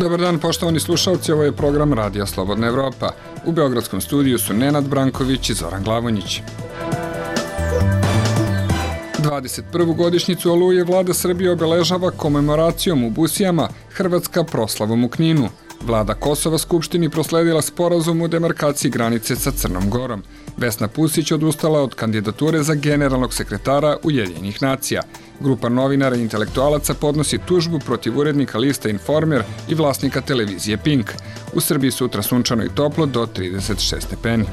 Dobar dan, poštovani slušalci, ovo je program Radija Slobodna Evropa. U beogradskom studiju su Nenad Branković i Zoran Glavonjić. 21. godišnjicu Oluje vlada Srbije obeležava komemoracijom u Busijama, Hrvatska proslavom u Kninu. Vlada Kosova Skupštini prosledila sporazum u demarkaciji granice sa Crnom Gorom. Vesna Pusić odustala od kandidature za generalnog sekretara Ujedinjenih nacija. Grupa novinara i intelektualaca podnosi tužbu protiv urednika lista Informer i vlasnika televizije Pink. U Srbiji sutra sunčano i toplo do 36 stepeni.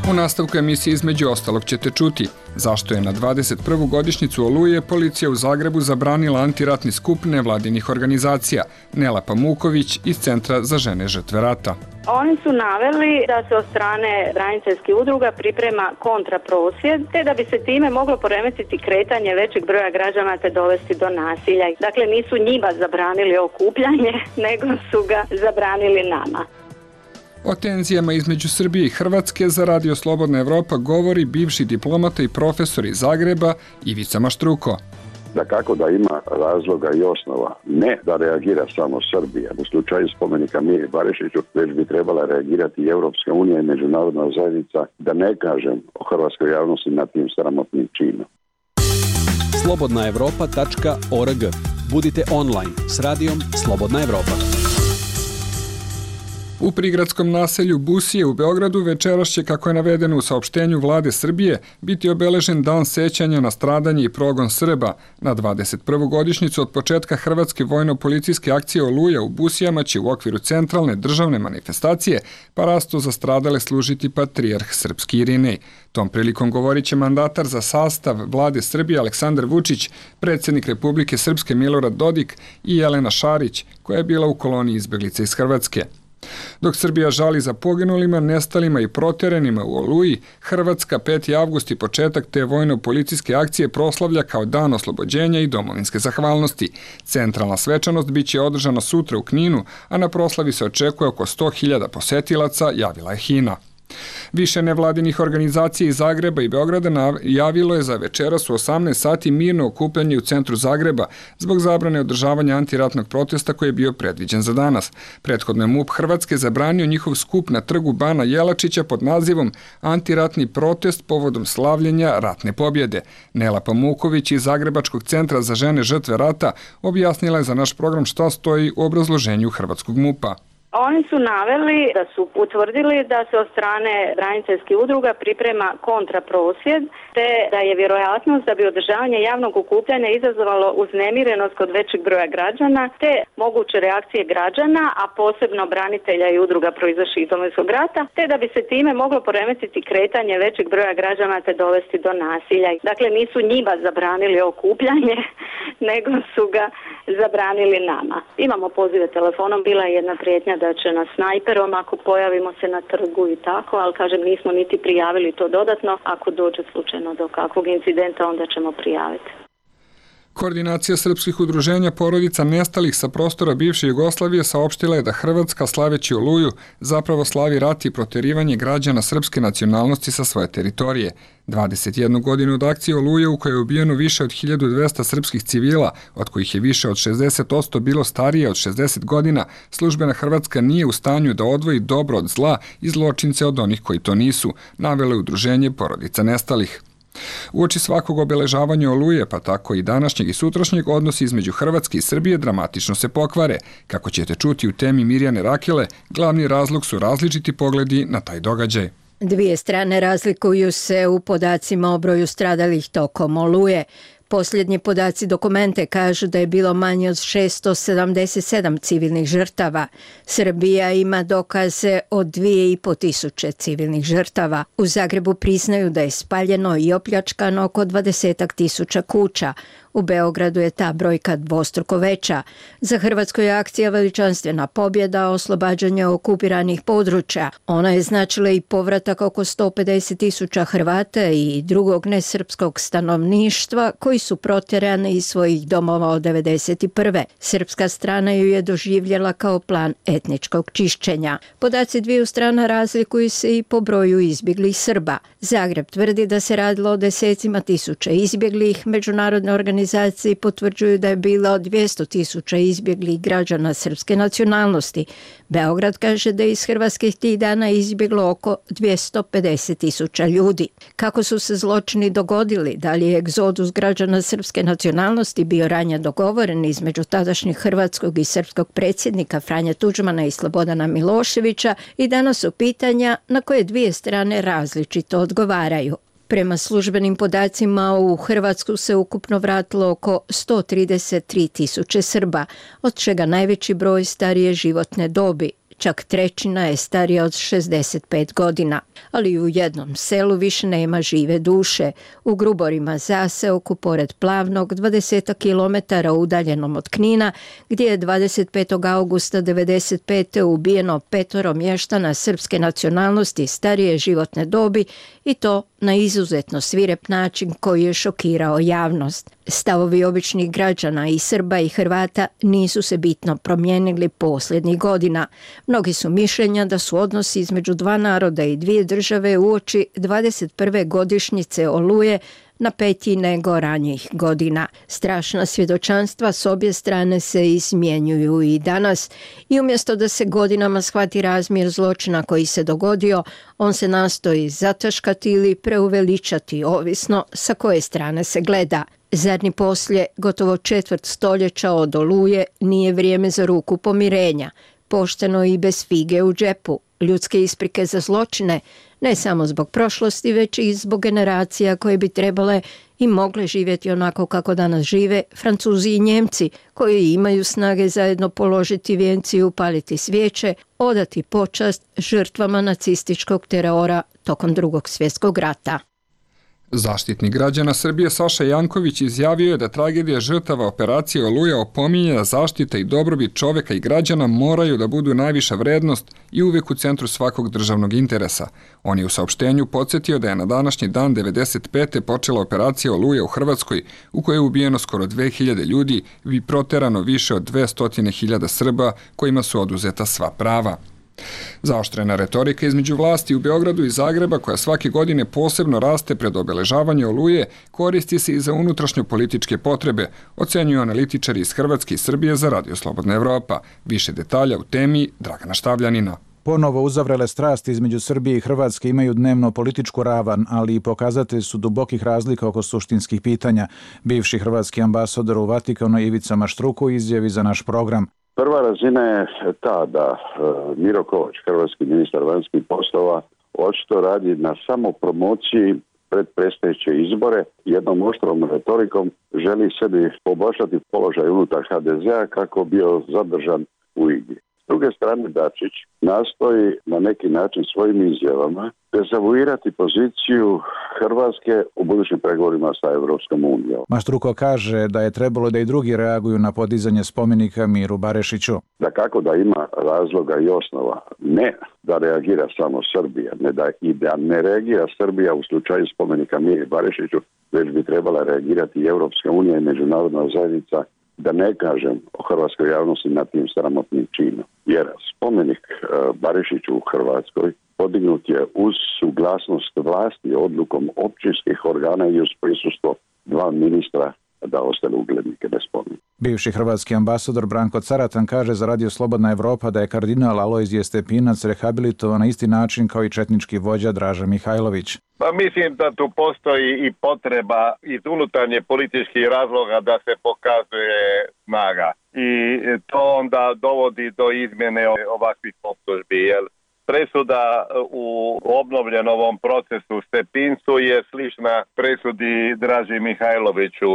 U nastavku emisije između ostalog ćete čuti zašto je na 21. godišnjicu Oluje policija u Zagrebu zabranila antiratni skup nevladinih organizacija. Nela Pamuković iz Centra za žene žrtve rata. Oni su naveli da se od strane braniteljskih udruga priprema kontraprosvjed, te da bi se time moglo poremetiti kretanje većeg broja građana te dovesti do nasilja. Dakle, nisu njima zabranili okupljanje, nego su ga zabranili nama. O tenzijama između Srbije i Hrvatske za Radio Slobodna Evropa govori bivši diplomata i profesor iz Zagreba Ivica Maštruko. Da kako da ima razloga i osnova, ne da reagira samo Srbija. U slučaju spomenika Miri Barišiću već bi trebala reagirati i Europska unija i međunarodna zajednica, da ne kažem o hrvatskoj javnosti nad tim sramotnim činom. slobodnaevropa.org. Budite online s radijom Slobodna Evropa. U prigradskom naselju Busije u Beogradu večeras će, kako je navedeno u saopštenju vlade Srbije, biti obeležen dan sećanja na stradanje i progon Srba. Na 21. godišnjicu od početka hrvatske vojno-policijske akcije Oluja u Busijama će u okviru centralne državne manifestacije parastu za stradale služiti patrijarh srpski Irinej. Tom prilikom govorit će mandatar za sastav vlade Srbije Aleksandar Vučić, predsjednik Republike Srpske Milorad Dodik i Jelena Šarić, koja je bila u koloniji izbeglica iz Hrvatske. Dok Srbija žali za poginulima, nestalima i proterenima u Oluji, Hrvatska 5. avgust i početak te vojno-policijske akcije proslavlja kao dan oslobođenja i domovinske zahvalnosti. Centralna svečanost biće održana sutra u Kninu, a na proslavi se očekuje oko 100.000 posetilaca, javila je HINA. Više nevladinih organizacija iz Zagreba i Beograda javilo je za večeras u 18 sati mirno okupljanje u centru Zagreba zbog zabrane održavanja antiratnog protesta koji je bio predviđen za danas. Prethodno je MUP Hrvatske zabranio njihov skup na trgu Bana Jelačića pod nazivom Antiratni protest povodom slavljenja ratne pobjede. Nela Pamuković iz Zagrebačkog centra za žene žrtve rata objasnila je za naš program šta stoji u obrazloženju hrvatskog MUP-a. Oni su naveli da su utvrdili da se od strane braniteljskih udruga priprema kontraprosvjed, te da je vjerojatnost da bi održavanje javnog okupljanja izazvalo uznemirenost kod većeg broja građana, te moguće reakcije građana, a posebno branitelja i udruga proizašlih iz Domovinskog rata, te da bi se time moglo poremetiti kretanje većeg broja građana te dovesti do nasilja. Dakle, nisu njima zabranili okupljanje, nego su ga zabranili nama. Imamo pozive telefonom, bila je jedna prijetnja da će nas snajperom ako pojavimo se na trgu i tako, ali kažem nismo niti prijavili to dodatno. Ako dođe slučajno do kakvog incidenta, onda ćemo prijaviti. Koordinacija srpskih udruženja porodica nestalih sa prostora bivše Jugoslavije saopštila je da Hrvatska, slaveći Oluju, zapravo slavi rat i proterivanje građana srpske nacionalnosti sa svoje teritorije. 21 godinu od akcije Oluje u kojoj je ubijeno više od 1200 srpskih civila, od kojih je više od 60% bilo starije od 60 godina, službena Hrvatska nije u stanju da odvoji dobro od zla i zločince od onih koji to nisu, navelo je udruženje porodica nestalih. Uoči svakog obeležavanja Oluje, pa tako i današnjeg i sutrašnjeg, odnosi između Hrvatske i Srbije dramatično se pokvare. Kako ćete čuti u temi Mirjane Rakele, glavni razlog su različiti pogledi na taj događaj. Dvije strane razlikuju se u podacima o broju stradalih tokom Oluje. Posljednji podaci dokumente kažu da je bilo manje od 677 civilnih žrtava. Srbija ima dokaze od 2500 civilnih žrtava. U Zagrebu priznaju da je spaljeno i opljačkano oko 20.000 kuća. U Beogradu je ta brojka dvostruko veća. Za Hrvatsku je akcija veličanstvena pobjeda, oslobađanje okupiranih područja. Ona je značila i povratak oko 150.000 Hrvata i drugog nesrpskog stanovništva koji koji su proterani iz svojih domova od 1991. Srpska strana ju je doživjela kao plan etničkog čišćenja. Podaci dviju strana razlikuju se i po broju izbjeglih Srba. Zagreb tvrdi da se radilo o desecima tisuća izbjeglih. Međunarodne organizacije potvrđuju da je bilo 200.000 izbjeglih građana srpske nacionalnosti. Beograd kaže da je iz Hrvatske tih dana izbjeglo oko 250.000 ljudi. Kako su se zločini dogodili? Da li je egzodus građana srpske nacionalnosti bio ranije dogovoren između tadašnjeg hrvatskog i srpskog predsjednika Franje Tuđmana i Slobodana Miloševića? I danas su pitanja na koje dvije strane različito odgovaraju. Prema službenim podacima u Hrvatsku se ukupno vratilo oko 133.000 Srba, od čega najveći broj starije životne dobi. Čak trećina je starija od 65 godina. Ali u jednom selu više nema žive duše. U Gruborima zaseoku pored Plavnog, 20 km udaljenom od Knina, gdje je 25. augusta 1995. ubijeno 5 mještana srpske nacionalnosti starije životne dobi i to na izuzetno svirep način koji je šokirao javnost. Stavovi običnih građana i Srba i Hrvata nisu se bitno promijenili posljednjih godina. Mnogi su mišljenja da su odnosi između dva naroda i dvije države uoči 21. godišnjice Oluje napetiji nego ranijih godina. Strašna svjedočanstva s obje strane se izmjenjuju i danas i umjesto da se godinama shvati razmjer zločina koji se dogodio, on se nastoji zataškati ili preuveličati, ovisno sa koje strane se gleda. Zar ni poslije gotovo četvrt stoljeća od Oluje nije vrijeme za ruku pomirenja, pošteno i bez fige u džepu, ljudske isprike za zločine, ne samo zbog prošlosti, već i zbog generacija koje bi trebale i mogle živjeti onako kako danas žive Francuzi i Njemci, koji imaju snage zajedno položiti vijenci i upaliti svijeće, odati počast žrtvama nacističkog terora tokom Drugog svjetskog rata. Zaštitnik građana Srbije Saša Janković izjavio je da tragedija žrtava operacije Oluja opominje da zaštita i dobrobit čovjeka i građana moraju da budu najviša vrednost i uvijek u centru svakog državnog interesa. On je u saopštenju podsjetio da je na današnji dan 1995. počela operacija Oluja u Hrvatskoj, u kojoj je ubijeno skoro 2000 ljudi i proterano više od 200.000 Srba kojima su oduzeta sva prava. Zaoštrena retorika između vlasti u Beogradu i Zagreba, koja svake godine posebno raste pred obeležavanje Oluje, koristi se i za unutrašnjo-političke potrebe, ocenjuju analitičari iz Hrvatske i Srbije za Radio Slobodna Evropa. Više detalja u temi Dragana Štavljanina. Ponovo uzavrele strasti između Srbije i Hrvatske imaju dnevno političku ravan, ali i pokazatelj su dubokih razlika oko suštinskih pitanja. Bivši hrvatski ambasador u Vatikanu Ivica Maštruko u izjavi za naš program. Prva razina je ta da Miro Kovač, hrvatski ministar vanjskih poslova, očito radi na samopromociji pred predstojeće izbore. Jednom oštrom retorikom želi sebi poboljšati položaj unutar HDZ-a kako bio zadržan u igri. S druge strane, Dačić nastoji na neki način svojim izjavama dezavuirati poziciju Hrvatske u budućim pregovorima sa Europskom unijom. Maštruko kaže da je trebalo da i drugi reaguju na podizanje spomenika Miru Barešiću. Da kako da ima razloga i osnova, ne da reagira samo Srbija, da ne reagira Srbija u slučaju spomenika Miri Barešiću, već bi trebala reagirati i Europska unija i međunarodna zajednica, da ne kažem o hrvatskoj javnosti nad tim sramotnim činom. Jer spomenik Barišiću u Hrvatskoj podignut je uz suglasnost vlasti odlukom općinskih organa i uz prisustvo dva ministra da ostane uglednike bez spomenika. Bivši hrvatski ambasador Branko Caratan kaže za Radio Slobodna Evropa da je kardinal Alojzije Stepinac rehabilitovan na isti način kao i četnički vođa Draža Mihajlović. Pa mislim da tu postoji i potreba iz unutarnje političkih razloga da se pokazuje snaga. I to onda dovodi do izmjene ovakvih optužbi, jer presuda u obnovljenom ovom procesu Stepincu je slična presudi Draži Mihajloviću.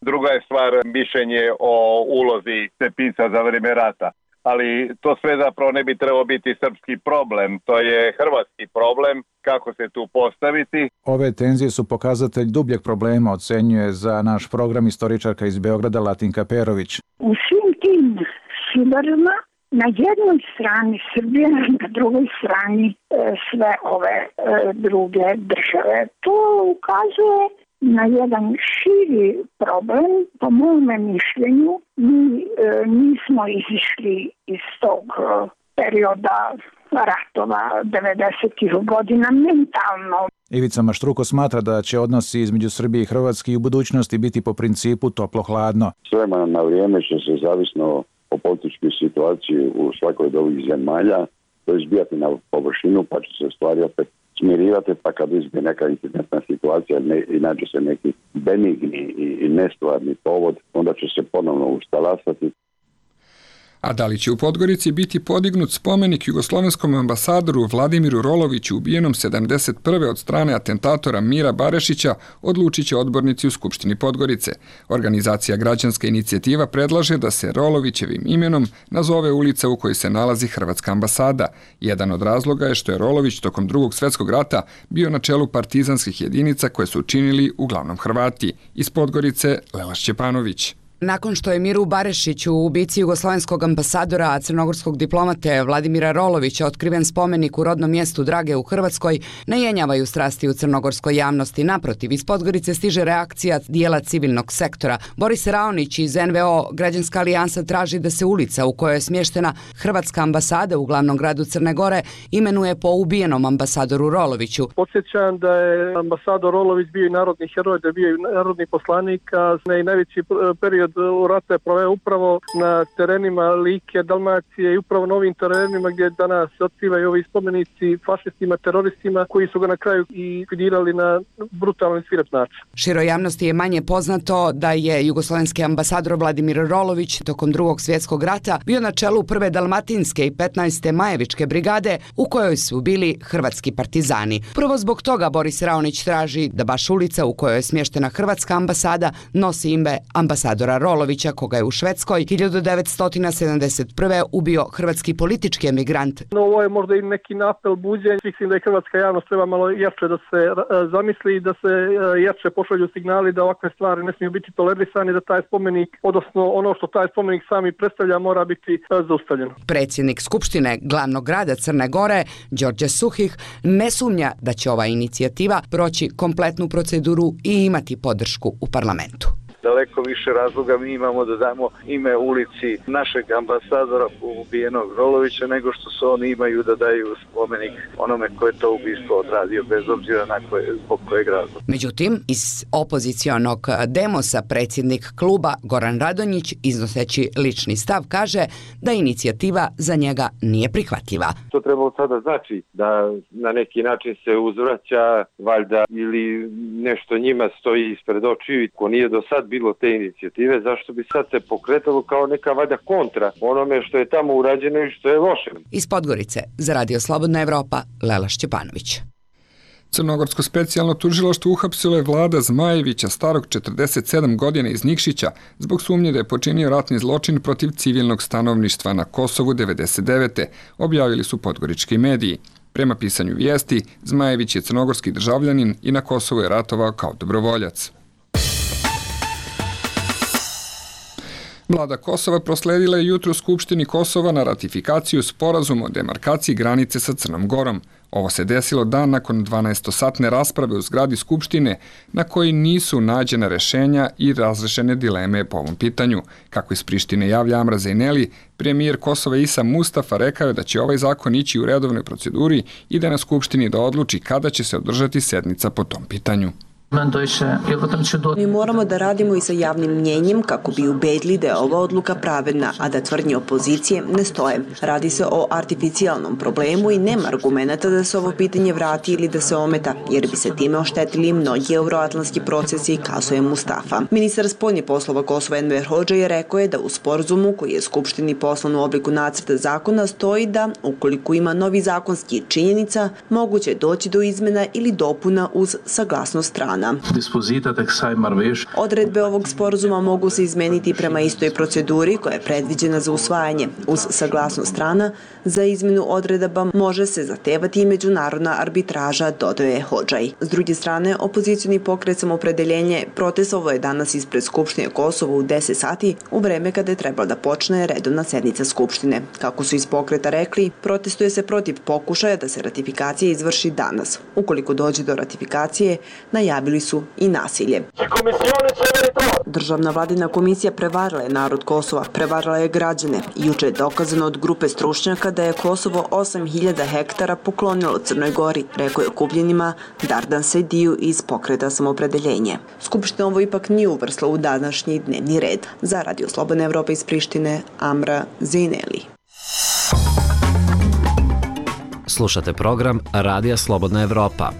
Druga je stvar mišljenje o ulozi Stepinca za vrijeme rata. Ali to sve zapravo ne bi trebao biti srpski problem, to je hrvatski problem, kako se tu postaviti. Ove tenzije su pokazatelj dubljeg problema, ocenjuje za naš program istoričarka iz Beograda Latinka Perović. U svim tim sudarima na jednoj strani Srbija, na drugoj strani sve ove druge države. To ukazuje na jedan širi problem. Po mome mišljenju, mi nismo izišli iz tog perioda ratova 90-ih godina mentalno. Ivica Maštruko smatra da će odnosi između Srbije i Hrvatske i u budućnosti biti po principu toplo-hladno. S vremena na vrijeme će se, zavisno o političkoj situaciji u svakoj od ovih zemalja, to izbijati na površinu, pa će se stvari opet smirivati, pa kad izbije neka incidentna situacija, inače se neki benigni i nestvarni povod, onda će se ponovno ustalasati. A da li će u Podgorici biti podignut spomenik jugoslovenskom ambasadoru Vladimiru Roloviću ubijenom 71. od strane atentatora Mira Barešića, odlučit će odbornici u Skupštini Podgorice. Organizacija Građanska inicijativa predlaže da se Rolovićevim imenom nazove ulica u kojoj se nalazi Hrvatska ambasada. Jedan od razloga je što je Rolović tokom Drugog svjetskog rata bio na čelu partizanskih jedinica koje su činili uglavnom Hrvati. Iz Podgorice, Lela Šćepanović. Nakon što je Miru Barešiću, ubici jugoslovenskog ambasadora, a crnogorskog diplomate Vladimira Rolovića, otkriven spomenik u rodnom mjestu Drage u Hrvatskoj, ne jenjavaju strasti u crnogorskoj javnosti. Naprotiv, iz Podgorice stiže reakcija dijela civilnog sektora. Boris Raonić iz NVO Građanska alijansa traži da se ulica u kojoj je smještena Hrvatska ambasada u glavnom gradu Crne Gore imenuje po ubijenom ambasadoru Roloviću. Podsjećam da je ambasador Rolović bio i narodni heroj, da je bio i narodni poslanik, a i najveći period u rata je proveo upravo na terenima Like, Dalmacije i upravo na ovim terenima gdje danas se otkrivaju ovi spomenici fašistima, teroristima koji su ga na kraju i likvidirali na brutalni i svirep način. Široj javnosti je manje poznato da je jugoslovenski ambasador Vladimir Rolović tokom Drugog svjetskog rata bio na čelu 1. Dalmatinske i 15. Majevičke brigade u kojoj su bili hrvatski partizani. Prvo zbog toga Boris Raonić traži da baš ulica u kojoj je smještena Hrvatska ambasada nosi ime ambasadora Rolovića, koga je u Švedskoj 1971. ubio hrvatski politički emigrant. No, ovo je možda i neki napel buđenja. Mislim da je hrvatska javnost treba malo jače da se zamisli i da se jače pošalju signali da ovakve stvari ne smiju biti tolerisane, da taj spomenik, odnosno ono što taj spomenik sami predstavlja, mora biti zaustavljeno. Predsjednik Skupštine glavnog grada Crne Gore, Đorđe Suhih, ne sumnja da će ova inicijativa proći kompletnu proceduru i imati podršku u parlamentu. Daleko više razloga mi imamo da damo ime ulici našeg ambasadora ubijenog Rolovića nego što se oni imaju da daju spomenik onome ko je to ubistvo odradio, bez obzira na zbog kojeg razloga. Međutim, iz opozicionog Demosa predsjednik kluba Goran Radonjić, iznoseći lični stav, kaže da inicijativa za njega nije prihvatljiva. To trebalo sada znači da na neki način se uzvraća valjda ili nešto njima stoji ispred očiju, ko nije do sad bilo te inicijative, zašto bi sad se pokretalo kao neka valjda kontra onome što je tamo urađeno i što je loše. Iz Podgorice za Radio Slobodna Evropa, Lela Šćepanović. Crnogorsko specijalno tužilaštvo uhapsilo je Vlada Zmajevića, starog 47 godina iz Nikšića, zbog sumnje da je počinio ratni zločin protiv civilnog stanovništva na Kosovu 99. objavili su podgorički mediji. Prema pisanju vijesti, Zmajević je crnogorski državljanin i na Kosovu je ratovao kao dobrovoljac. Vlada Kosova prosledila je jutro Skupštini Kosova na ratifikaciju sporazuma o demarkaciji granice sa Crnom Gorom. Ovo se desilo dan nakon 12-satne rasprave u zgradi Skupštine na koji nisu nađena rešenja i razrešene dileme po ovom pitanju. Kako iz Prištine javlja Amra Zejneli, premijer Kosova Isa Mustafa rekao je da će ovaj zakon ići u redovnoj proceduri i da na Skupštini da odluči kada će se održati sednica po tom pitanju. Mi moramo da radimo i sa javnim mnjenjem kako bi ubedili da je ova odluka pravedna, a da tvrdnje opozicije ne stoje. Radi se o artificijalnom problemu i nema argumenta da se ovo pitanje vrati ili da se ometa, jer bi se time oštetili mnogi euroatlantski procesi, kazuje Mustafa. Ministar spoljnih poslova Kosova Enver Hodža rekao je da u sporazumu koji je Skupštini poslan u obliku nacrta zakona stoji da, ukoliko ima novi zakonski činjenica, moguće doći do izmena ili dopuna uz saglasnost strana. Odredbe ovog sporazuma mogu se izmeniti prema istoj proceduri koja je predviđena za usvajanje. Uz saglasnost strana, za izmenu odredaba može se zahtevati i međunarodna arbitraža, dodaje Hodžaj. S druge strane, opozicioni pokret Samoopredeljenje protestovao je danas ispred Skupštine Kosova u 10 sati, u vreme kada je trebala da počne redovna sednica Skupštine. Kako su iz pokreta rekli, protestuje se protiv pokušaja da se ratifikacija izvrši danas. Ukoliko dođe do ratifikacije, najavili najavili su i nasilje. Državna vladina komisija prevarila je narod Kosova, prevarila je građane. Juče je dokazano od grupe stručnjaka da je Kosovo 8.000 hektara poklonilo Crnoj Gori, rekao je okupljenima Dardan Sediju iz Pokreta samopredeljenje. Skupština ovo ipak nije uvrstila u današnji dnevni red. Za Radio Slobodna Evropa iz Prištine, Amra Zejneli. Slušate program Radija Slobodna Evropa.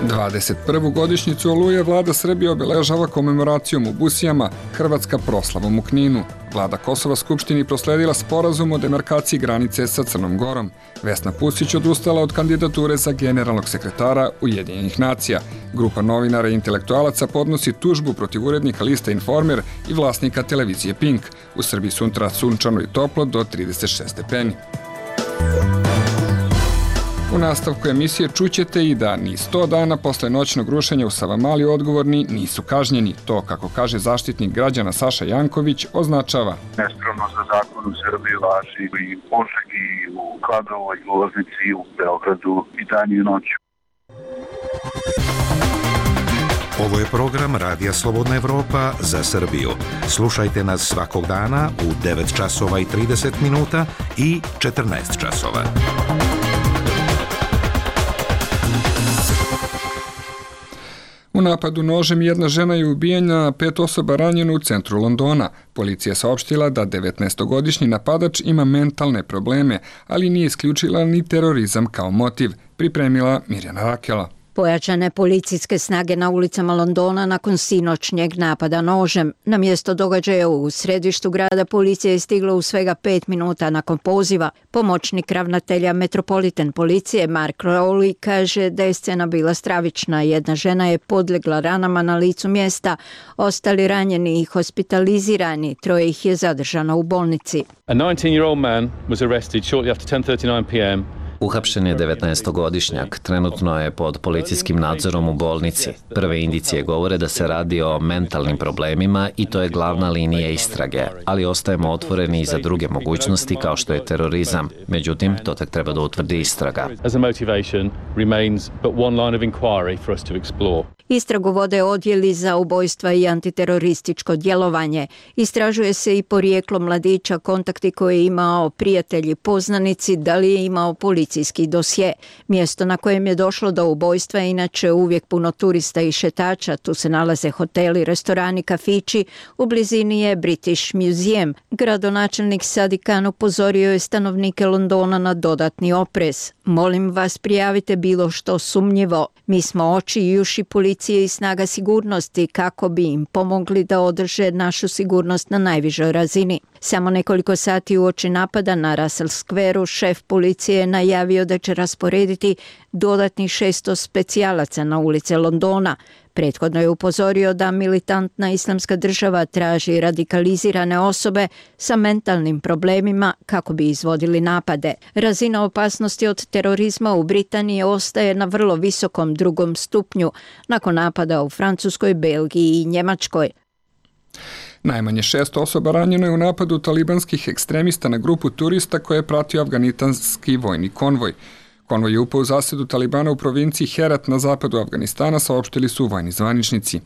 21. godišnjicu Oluje vlada Srbije obeležava komemoracijom u Busijama, Hrvatska proslavom u Kninu. Vlada Kosova Skupštini prosledila sporazum o demarkaciji granice sa Crnom Gorom. Vesna Pusić odustala od kandidature za generalnog sekretara Ujedinjenih nacija. Grupa novinara i intelektualaca podnosi tužbu protiv urednika lista Informer i vlasnika televizije Pink. U Srbiji sutra sunčano i toplo do 36 stepeni. U nastavku emisije čućete i da ni 100 dana posle noćnog rušenja u Savamali odgovorni nisu kažnjeni. To, kako kaže zaštitnik građana Saša Janković, označava nespravno za zakon u Srbiji važi i u Požegi, i u Kladovoj, i u Loznici, i u Beogradu, i dan i noć. Ovo je program Radija Slobodna Evropa za Srbiju. Slušajte nas svakog dana u 9 časova i 30 minuta i 14 časova. U napadu nožem jedna žena je ubijena, 5 osoba ranjeno u centru Londona. Policija saopštila da 19-godišnji napadač ima mentalne probleme, ali nije isključila ni terorizam kao motiv, pripremila Mirjana Rakela. Pojačane policijske snage na ulicama Londona nakon sinoćnjeg napada nožem. Na mjesto događaja u središtu grada policija je stigla u svega 5 minuta nakon poziva. Pomoćnik ravnatelja Metropolitan policije Mark Rowley kaže da je scena bila stravična. Jedna žena je podlegla ranama na licu mjesta, ostali ranjeni i hospitalizirani, 3 ih je zadržano u bolnici. A 19-year-old man was arrested shortly after 10:39 p.m. Uhapšen je 19-godišnjak, trenutno je pod policijskim nadzorom u bolnici. Prve indicije govore da se radi o mentalnim problemima i to je glavna linija istrage, ali ostajemo otvoreni i za druge mogućnosti kao što je terorizam. Međutim, to tek treba da utvrdi istraga. Istragu vode odjeli za ubojstva i antiterorističko djelovanje. Istražuje se i porijeklo mladića, kontakti koje je imao, prijatelji, poznanici, da li je imao policijski dosje. Mjesto na kojem je došlo do ubojstva je inače uvijek puno turista i šetača. Tu se nalaze hoteli, restorani, kafići. U blizini je British Museum. Gradonačelnik Sadiq Khan upozorio je stanovnike Londona na dodatni oprez. Molim vas, prijavite bilo što sumnjivo. Mi smo oči i uši policije i snaga sigurnosti kako bi im pomogli da održe našu sigurnost na najvišoj razini. Samo nekoliko sati uoči napada na Russell Square-u šef policije je najavio da će rasporediti dodatnih 600 specijalaca na ulice Londona. Prethodno je upozorio da militantna islamska država traži radikalizirane osobe sa mentalnim problemima kako bi izvodili napade. Razina opasnosti od terorizma u Britaniji ostaje na vrlo visokom 2. stupnju nakon napada u Francuskoj, Belgiji i Njemačkoj. Najmanje 6 osoba ranjeno je u napadu talibanskih ekstremista na grupu turista koje je pratio afganistanski vojni konvoj. Konvoj je upao u zasedu Talibana u provinciji Herat na zapadu Afganistana, saopštili su vojni zvaničnici.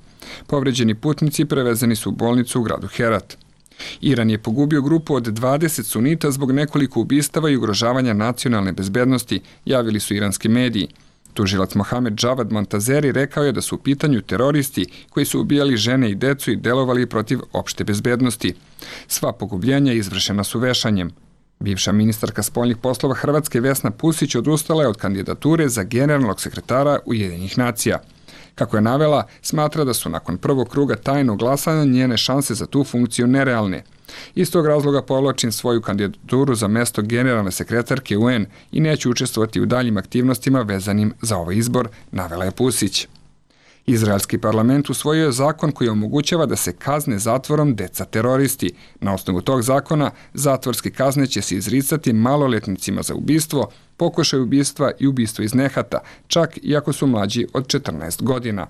Povređeni putnici prevezeni su u bolnicu u gradu Herat. Iran je pogubio grupu od 20 sunita zbog nekoliko ubistava i ugrožavanja nacionalne bezbednosti, javili su iranski mediji. Tužilac Mohamed Javad Montazeri rekao je da su u pitanju teroristi koji su ubijali žene i decu i delovali protiv opšte bezbednosti. Sva pogubljenja izvršena su vešanjem. Bivša ministarka spoljnih poslova Hrvatske Vesna Pusić odustala je od kandidature za generalnog sekretara Ujedinjenih nacija. Kako je navela, smatra da su nakon prvog kruga tajnog glasanja njene šanse za tu funkciju nerealne. Iz tog razloga povlačim svoju kandidaturu za mesto generalne sekretarke UN i neću učestvovati u daljim aktivnostima vezanim za ovaj izbor, navela je Pusić. Izraelski parlament usvojio je zakon koji omogućava da se kazne zatvorom deca teroristi. Na osnovu tog zakona zatvorske kazne će se izricati maloletnicima za ubistvo, pokušaj ubistva i ubistvo iz nehata, čak i ako su mlađi od 14 godina.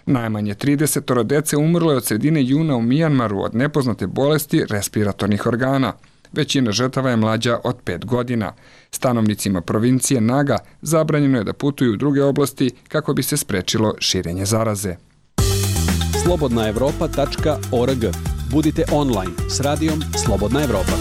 Najmanje 30 dece umrlo je od sredine juna u Mijanmaru od nepoznate bolesti respiratornih organa. Većina žrtava je mlađa od 5 godina. Stanovnicima provincije Naga zabranjeno je da putuju u druge oblasti kako bi se sprečilo širenje zaraze. slobodnaevropa.org. Budite online s radijom Slobodna Evropa.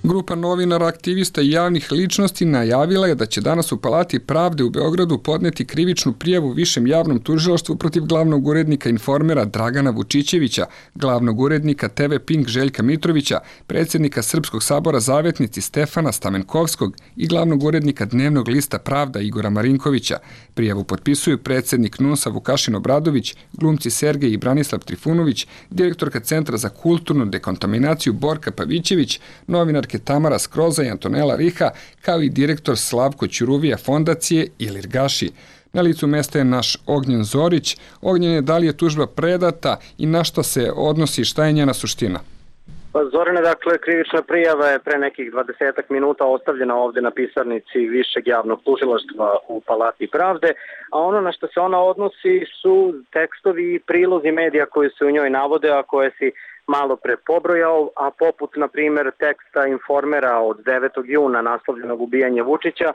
Grupa novinara, aktivista i javnih ličnosti najavila je da će danas u Palati pravde u Beogradu podneti krivičnu prijavu Višem javnom tužilaštvu protiv glavnog urednika Informera Dragana Vučićevića, glavnog urednika TV Pink Željka Mitrovića, predsjednika Srpskog sabora Zavetnici Stefana Stamenkovskog i glavnog urednika Dnevnog lista Pravda Igora Marinkovića. Prijavu potpisuju predsjednik NUNS-a Vukašin Obradović, glumci Sergej i Branislav Trifunović, direktorka Centra za kulturnu dekontaminaciju Borka Pavićević, novinarke Tamara Skroza i Antonela Riha, kao i direktor Slavko Ćuruvija fondacije Ilir Gaši. Na licu mesta je naš Ognjen Zorić. Ognjen, da li je tužba predata i na što se odnosi, šta je njena suština? Zorane, dakle, krivična prijava je pre nekih 20 minuta ostavljena ovdje na pisarnici Višeg javnog tužilaštva u Palati pravde, a ono na što se ona odnosi su tekstovi i prilozi medija koji se u njoj navode, a koje si malo pre pobrojao, a poput, na primjer, teksta Informera od 9. juna naslovljenog ubijanja Vučića,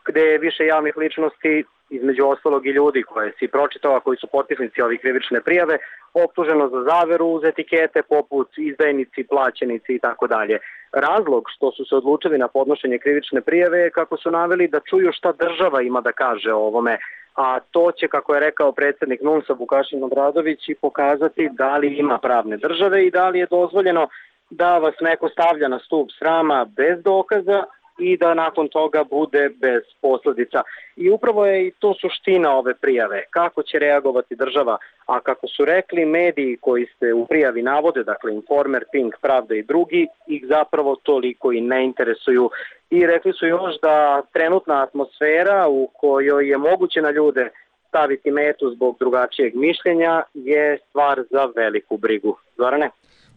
gde je više javnih ličnosti, između ostalog i ljudi koje si pročitao, a koji su potpisnici ovih krivične prijave, optuženo za zaveru uz etikete poput izdajnici, plaćenici i tako dalje. Razlog što su se odlučili na podnošenje krivične prijave je kako su naveli da čuju šta država ima da kaže o ovome, a to će, kako je rekao predsjednik NUNS-a Vukašin Obradović, i pokazati da li ima pravne države i da li je dozvoljeno da vas neko stavlja na stup srama bez dokaza i da nakon toga bude bez posljedica. I upravo je i to suština ove prijave. Kako će reagovati država, a kako su rekli mediji koji se u prijavi navode, dakle Informer, Pink, Pravda i drugi, ih zapravo toliko i ne interesuju. I rekli su još da trenutna atmosfera u kojoj je moguće na ljude staviti metu zbog drugačijeg mišljenja je stvar za veliku brigu. Zorane?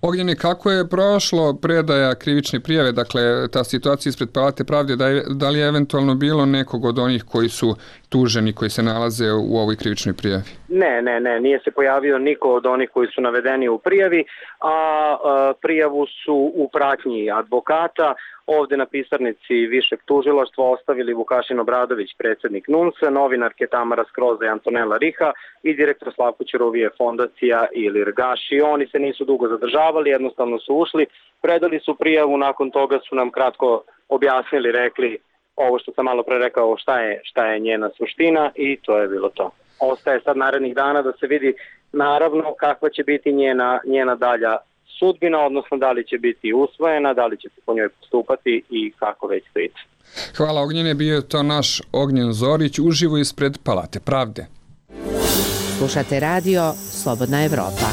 Ognjene, kako je prošlo predaja krivične prijave, dakle ta situacija ispred Palate pravde, da li je eventualno bilo nekog od onih koji su tuženi, koji se nalaze u ovoj krivičnoj prijavi? Ne, nije se pojavio niko od onih koji su navedeni u prijavi, a prijavu su u pratnji advokata ovdje na pisarnici Višeg tužilaštva ostavili Vukašin Obradović, predsjednik NUNS-a, novinarke Tamara Skroza i Antonela Riha i direktor Slavko Ćuruvije fondacija Ilir Gaši. Oni se nisu dugo zadržavali, jednostavno su ušli, predali su prijavu, nakon toga su nam kratko objasnili, rekli ovo što sam malo pre rekao, šta je njena suština, i to je bilo to. Ostaje sad narednih dana da se vidi naravno kakva će biti njena dalja sudbina, odnosno da li će biti usvojena, da li će se po njoj postupati i kako već to ide. Hvala Ognjene, bio je to naš Ognjen Zorić uživo ispred Palate pravde. Slušate radio Slobodna Evropa.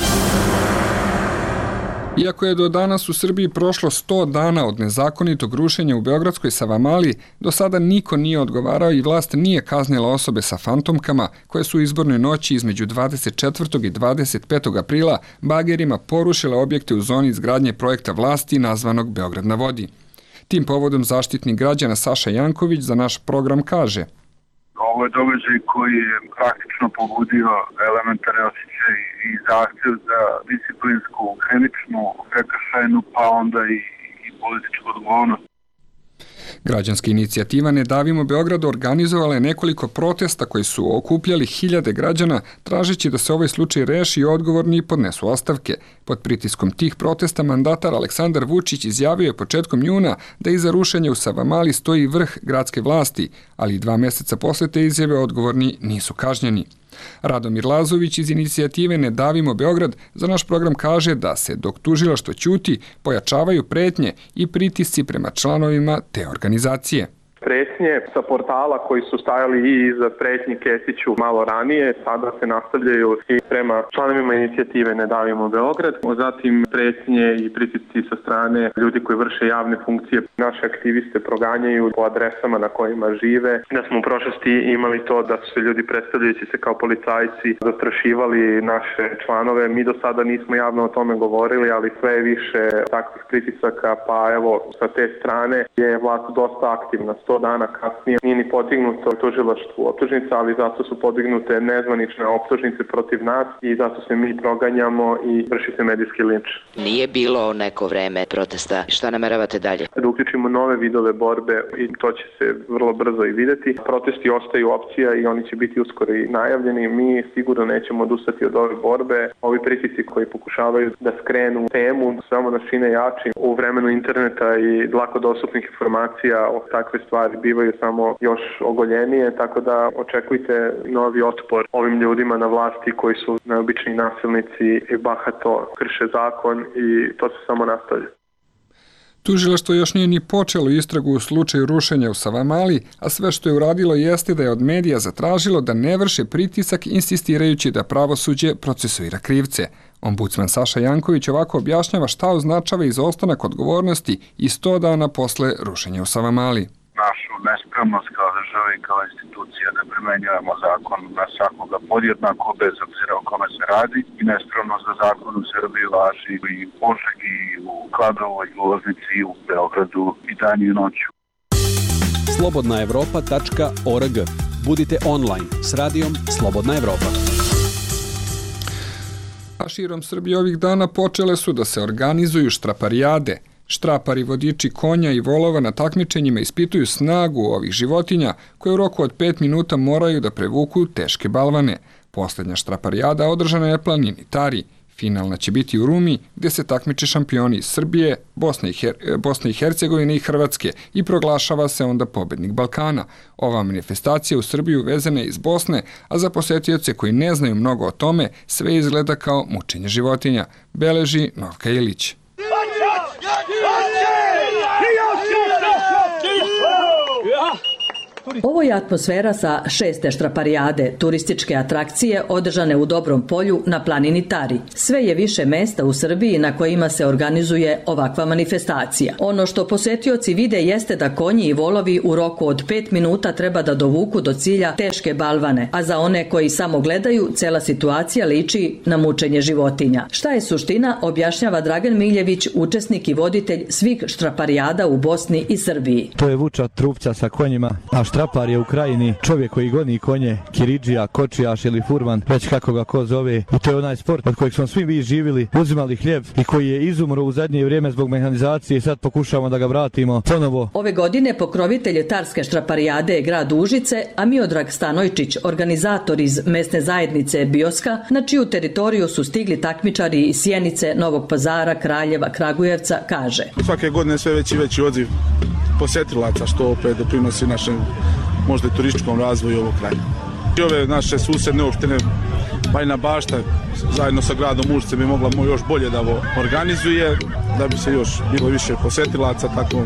Iako je do danas u Srbiji prošlo 100 dana od nezakonitog rušenja u Beogradskoj Savamali, do sada niko nije odgovarao i vlast nije kaznila osobe sa fantomkama koje su u izbornoj noći između 24. i 25. aprila bagerima porušile objekte u zoni izgradnje projekta vlasti nazvanog Beograd na vodi. Tim povodom zaštitnik građana Saša Janković za naš program kaže: Ovo je događaj koji je praktično pobudio elementarne osjećaje i zahtjev za disciplinsku, krivičnu, prekršajnu, pa onda i političku odgovornost. Građanska inicijativa Ne davimo Beograd organizovala je nekoliko protesta koji su okupljali hiljade građana, tražeći da se ovaj slučaj reši i odgovorni podnesu ostavke. Pod pritiskom tih protesta mandatar Aleksandar Vučić izjavio je početkom juna da iza rušenja u Savamali stoji vrh gradske vlasti, ali 2 mjeseca posle te izjave odgovorni nisu kažnjeni. Radomir Lazović iz inicijative Ne davimo Beograd za naš program kaže da se dok tužilaštvo ćuti pojačavaju pretnje i pritisci prema članovima te organizacije. Pretnje sa portala koji su stajali i iza pretnji Kesiću malo ranije, sada se nastavljaju i prema članovima inicijative Ne davimo Beograd. Zatim pretnje i pritisci sa strane ljudi koji vrše javne funkcije. Naše aktiviste proganjaju po adresama na kojima žive. Da smo u prošlosti imali to da su se ljudi predstavljajući se kao policajci zastrašivali naše članove. Mi do sada nismo javno o tome govorili, ali sve je više takvih pritisaka, pa evo sa te strane je vlast dosta aktivna. 100 dana kasnije nije ni podignuto tužilaštvu optužnica, ali zato su podignute nezvanične optužnice protiv nas i zato se mi proganjamo i vrši se medijski linč. Nije bilo neko vreme protesta. Šta nameravate dalje? Da uključimo nove vidove borbe i to će se vrlo brzo i videti. Protesti ostaju opcija i oni će biti uskoro i najavljeni. Mi sigurno nećemo odustati od ove borbe. Ovi pritisci koji pokušavaju da skrenu temu samo nas čine jači. U vremenu interneta i lako dostupnih informacija o takve stvari bivaju samo još ogoljenije, tako da očekujte novi otpor ovim ljudima na vlasti koji su neobični nasilnici i bahato krše zakon i to se samo nastavlja. Tužilaštvo još nije ni počelo istragu u slučaju rušenja u Savamali, a sve što je uradilo jeste da je od medija zatražilo da ne vrše pritisak insistirajući da pravosuđe procesuira krivce. Ombudsman Saša Janković ovako objašnjava šta označava izostanak odgovornosti i 100 dana posle rušenja u Savamali. Našu nespremnost kao država i kao institucija da primenjujemo zakon na svakoga podjednako bez obzira o kome se radi i nespremnost da zakon u Srbiji važi i u Požegi, i u Kladovu, i u Loznici, i u Beogradu i danju i noću. slobodnaevropa.org. Budite online s radijom Slobodna Evropa. A širom Srbije ovih dana počele su da se organizuju štraparijade. Štrapari, vodiči konja i volova na takmičenjima ispituju snagu ovih životinja koje u roku od 5 minuta moraju da prevuku teške balvane. Poslednja štraparijada održana je na planini Tari. Finalna će biti u Rumi, gde se takmiče šampioni iz Srbije, Bosne i Hercegovine i Hrvatske i proglašava se onda pobednik Balkana. Ova manifestacija u Srbiju vezana je iz Bosne, a za posetioce koji ne znaju mnogo o tome, sve izgleda kao mučenje životinja, beleži Novka Ilić. Ovo je atmosfera sa 6. štraparijade, turističke atrakcije održane u Dobrom polju na planini Tari. Sve je više mesta u Srbiji na kojima se organizuje ovakva manifestacija. Ono što posetioci vide jeste da konji i volovi u roku od 5 minuta treba da dovuku do cilja teške balvane, a za one koji samo gledaju, cela situacija liči na mučenje životinja. Šta je suština, objašnjava Dragan Miljević, učesnik i voditelj svih štraparijada u Bosni i Srbiji. To je vuča trupća sa konjima, a štrapar je u Krajini čovjek koji goni konje, kiridžija, kočijaš ili furman, već kako ga ko zove. I to je onaj sport od kojeg smo svi vi živjeli, uzimali hljeb i koji je izumro u zadnje vrijeme zbog mehanizacije i sad pokušavamo da ga vratimo ponovo. Ove godine pokrovitelj Tarske štraparijade je grad Užice, a Miodrag Stanojčić, organizator iz mesne zajednice Bioska, na čiju teritoriju su stigli takmičari iz Sjenice, Novog Pazara, Kraljeva, Kragujevca, kaže. Svake godine sve veći i veći odziv posjetilaca, što opet doprinosi našem možda i turističkom razvoju ovog kraja. I ove naše susedne opštine, Bajina Bašta, zajedno sa gradom Užice bi mogla još bolje da ovo organizuje, da bi se još bilo više posjetilaca. Tako.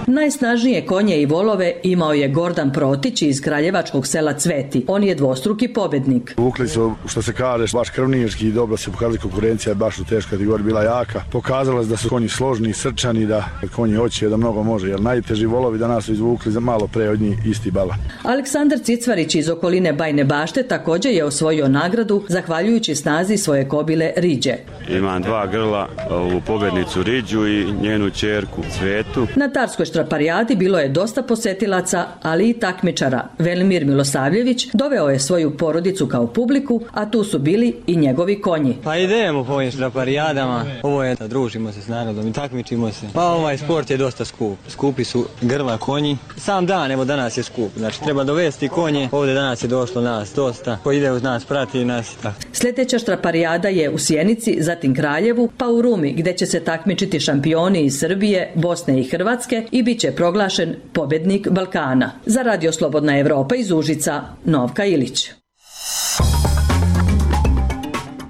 Najsnažnije konje i volove imao je Gordan Protić iz kraljevačkog sela Cveti. On je dvostruki pobednik. Vukli su, što se kaže, baš krvnički i dobro se pokazali, konkurencija je baš u teškoj kategoriji bila jaka. Pokazala se da su konji složni, srčani, da konji hoće da mnogo može, jer najteži volovi danas su izvukli za malo pre od njih isti bala. Aleksandar Cicvarić iz okoline Bajne Bašte također je osvojio nagradu zahvaljujući snazi svoje kobile Riđe. Imam 2 grla, ovu pobednicu Riđu i njenu ćerku Cvetu. Na Tarskoj štraparijadi bilo je dosta posetilaca, ali i takmičara. Velimir Milosavljević doveo je svoju porodicu kao publiku, a tu su bili i njegovi konji. Pa idemo po ovim štraparijadama, ovo je da družimo se s narodom i takmičimo se. Pa ovaj sport je dosta skup. Skupi su grla konji. Sam dan, evo danas je skup. Znači treba dovesti konje, ovdje danas je došlo nas dosta. Ko ide uz nas, prati nas. Tako. Sljedeća štraparijada je u Sjenici, zatim Kraljevu, pa u Rumi, gde će se takmičiti šampioni iz Srbije, Bosne i Hrvatske i bit će proglašen pobednik Balkana. Za Radio Slobodna Evropa iz Užica, Novka Ilić.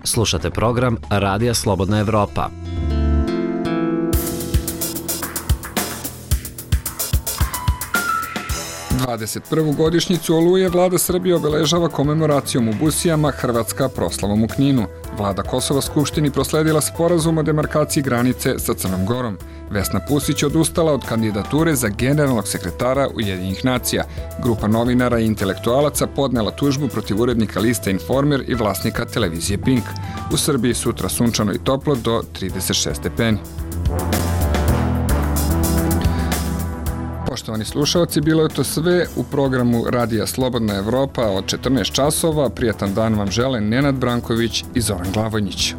Slušate program Radija Slobodna Evropa. Godišnjicu Oluje vlada Srbije obeležava komemoracijom u Busijama, Hrvatska proslavom u Kninu. Vlada Kosova Skupštini prosledila sporazum o demarkaciji granice sa Crnom Gorom. Vesna Pusić odustala od kandidature za generalnog sekretara Ujedinjenih nacija. Grupa novinara i intelektualaca podnela tužbu protiv urednika lista Informer i vlasnika televizije Pink. U Srbiji sutra sunčano i toplo do 36 stepeni. Poštovani slušalci, bilo je to sve u programu Radija Slobodna Evropa od 14 časova. Prijatan dan vam žele Nenad Branković i Zoran Glavonjić.